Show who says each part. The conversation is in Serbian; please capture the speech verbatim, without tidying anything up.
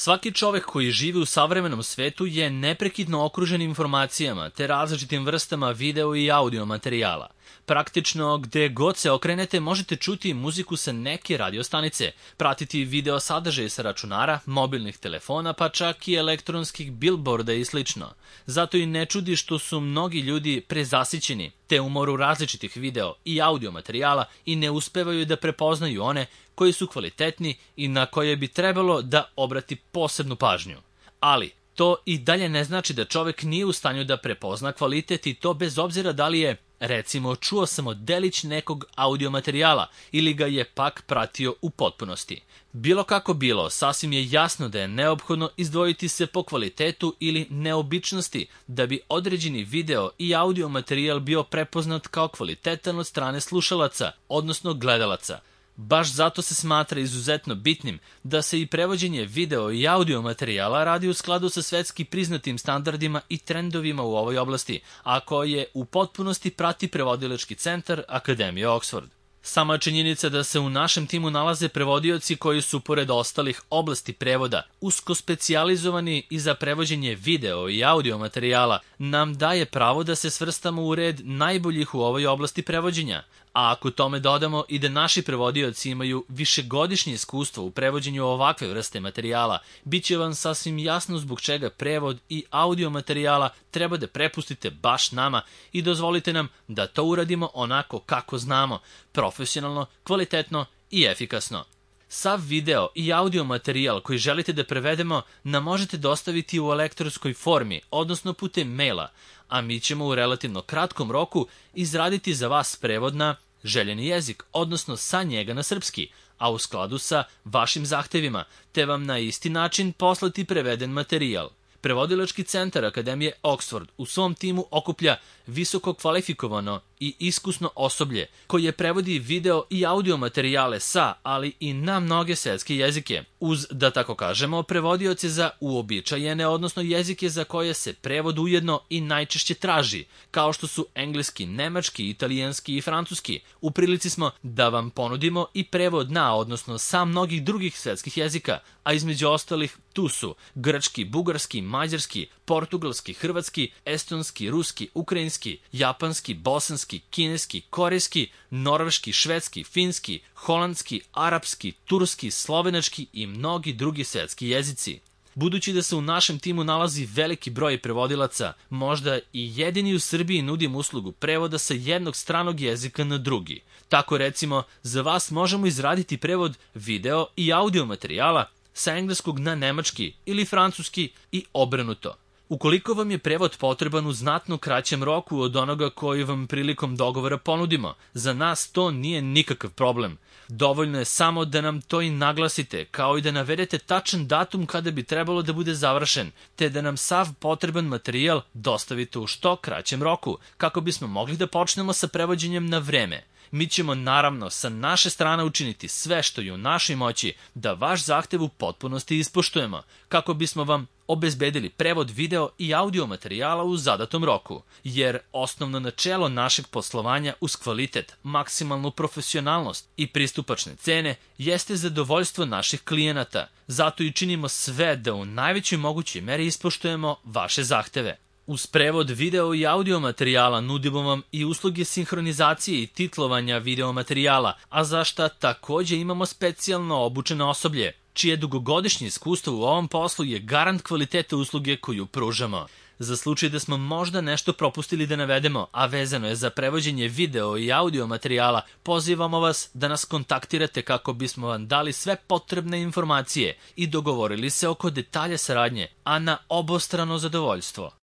Speaker 1: Svaki čovek koji živi u savremenom svetu je neprekidno okružen informacijama te različitim vrstama video i audio materijala. Praktično, gde god se okrenete možete čuti muziku sa neke radiostanice, pratiti video sadržaje sa računara, mobilnih telefona, pa čak i elektronskih bilborda i slično. Zato i ne čudi što su mnogi ljudi prezasićeni, te umoru različitih video i audio materijala i ne uspevaju da prepoznaju one koji su kvalitetni i na koje bi trebalo da obrati posebnu pažnju. Ali, to i dalje ne znači da čovek nije u stanju da prepozna kvalitet i to bez obzira da li je, recimo, čuo samo delić nekog audio materijala ili ga je pak pratio u potpunosti. Bilo kako bilo, sasvim je jasno da je neophodno izdvojiti se po kvalitetu ili neobičnosti da bi određeni video i audio materijal bio prepoznat kao kvalitetan od strane slušalaca, odnosno gledalaca. Baš zato se smatra izuzetno bitnim da se i prevođenje video i audio materijala radi u skladu sa svetski priznatim standardima i trendovima u ovoj oblasti, a koje u potpunosti prati prevodilački centar Akademije Oxford. Sama činjenica da se u našem timu nalaze prevodioci koji su, pored ostalih oblasti prevoda, usko specijalizovani i za prevođenje video i audio materijala, nam daje pravo da se svrstamo u red najboljih u ovoj oblasti prevođenja. A ako tome dodamo i da naši prevodioci imaju višegodišnje iskustvo u prevođenju ovakve vrste materijala, bit će vam sasvim jasno zbog čega prevod i audio materijala treba da prepustite baš nama i dozvolite nam da to uradimo onako kako znamo, profesionalno, kvalitetno i efikasno. Sav video i audio materijal koji želite da prevedemo nam možete dostaviti u elektronskoj formi, odnosno putem maila, a mi ćemo u relativno kratkom roku izraditi za vas prevod na željeni jezik, odnosno sa njega na srpski, a u skladu sa vašim zahtevima, te vam na isti način poslati preveden materijal. Prevodilački centar Akademije Oxford u svom timu okuplja visoko kvalifikovano i iskusno osoblje koje prevodi video i audio materijale sa, ali i na mnoge svetske jezike, uz, da tako kažemo, prevodioce za uobičajene, odnosno jezike za koje se prevod ujedno i najčešće traži, kao što su engleski, nemački, italijanski i francuski. U prilici smo da vam ponudimo i prevod na, odnosno sa mnogih drugih svetskih jezika, a između ostalih tu su grčki, bugarski, mađarski, portugalski, hrvatski, estonski, ruski, ukrajinski, japanski, bosanski, kineski, korejski, norveški, švedski, finski, holandski, arapski, turski, slovenački i mnogi drugi svetski jezici. Budući da se u našem timu nalazi veliki broj prevodilaca, možda i jedini u Srbiji nudim uslugu prevoda sa jednog stranog jezika na drugi. Tako recimo, za vas možemo izraditi prevod video i audio materijala sa engleskog na nemački ili francuski i obrnuto. Ukoliko vam je prevod potreban u znatno kraćem roku od onoga koji vam prilikom dogovora ponudimo, za nas to nije nikakav problem. Dovoljno je samo da nam to i naglasite, kao i da navedete tačan datum kada bi trebalo da bude završen, te da nam sav potreban materijal dostavite u što kraćem roku, kako bismo mogli da počnemo sa prevođenjem na vreme. Mi ćemo naravno sa naše strane učiniti sve što je u našoj moći da vaš zahtev u potpunosti ispoštujemo, kako bismo vam obezbedili prevod video i audio materijala u zadatom roku, jer osnovno načelo našeg poslovanja uz kvalitet, maksimalnu profesionalnost i pristupačne cene jeste zadovoljstvo naših klijenata, zato i činimo sve da u najvećoj mogućoj meri ispoštujemo vaše zahteve. Uz prevod video i audio materijala nudimo vam i usluge sinhronizacije i titlovanja video materijala, a za šta takođe imamo specijalno obučeno osoblje, čije dugogodišnje iskustvo u ovom poslu je garant kvaliteta usluge koju pružamo. Za slučaj da smo možda nešto propustili da navedemo, a vezano je za prevođenje video i audio materijala, pozivamo vas da nas kontaktirate kako bismo vam dali sve potrebne informacije i dogovorili se oko detalja saradnje, a na obostrano zadovoljstvo.